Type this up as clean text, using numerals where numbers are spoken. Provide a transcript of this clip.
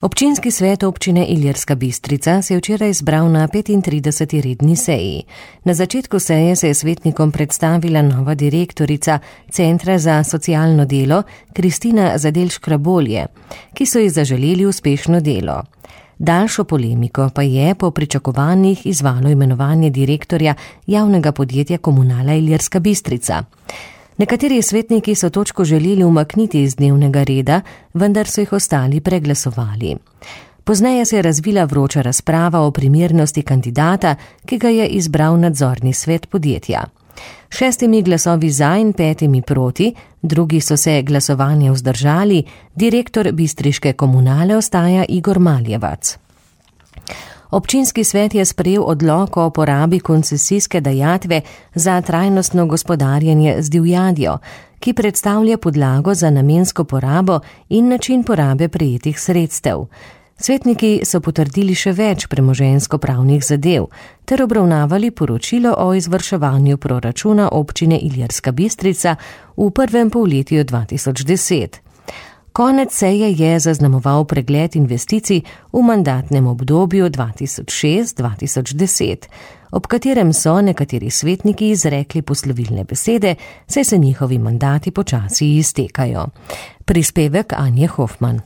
Občinski svet občine Ilirska Bistrica se je včeraj zbral na 35. redni seji. Na začetku seje se je svetnikom predstavila nova direktorica Centra za socialno delo Kristina Zadelj-Škrabolje, ki so ji zaželeli uspešno delo. Daljšo polemiko pa je po pričakovanjih izzvalo imenovanje direktorja javnega podjetja Komunala Ilirska Bistrica. Nekateri svetniki so točko želeli umakniti iz dnevnega reda, vendar so jih ostali preglasovali. Pozneje se je razvila vroča razprava o primernosti kandidata, ki ga je izbral nadzorni svet podjetja. 6 glasovi za in 5 proti, drugi so se glasovanja vzdržali, direktor bistriške komunale ostaja Igor Maljevac. Občinski svet je sprejel odlok o porabi koncesijske dajatve za trajnostno gospodarjenje z divjadjo, ki predstavlja podlago za namensko porabo in način porabe prejetih sredstev. Svetniki so potrdili še več premoženjsko-pravnih zadev ter obravnavali poročilo o izvrševanju proračuna občine Ilirska Bistrica v prvem polletju 2010. Konec seje je zaznamoval pregled investicij v mandatnem obdobju 2006-2010, ob katerem so nekateri svetniki izrekli poslovilne besede, saj se njihovi mandati počasi iztekajo. Prispevek Anje Hofman.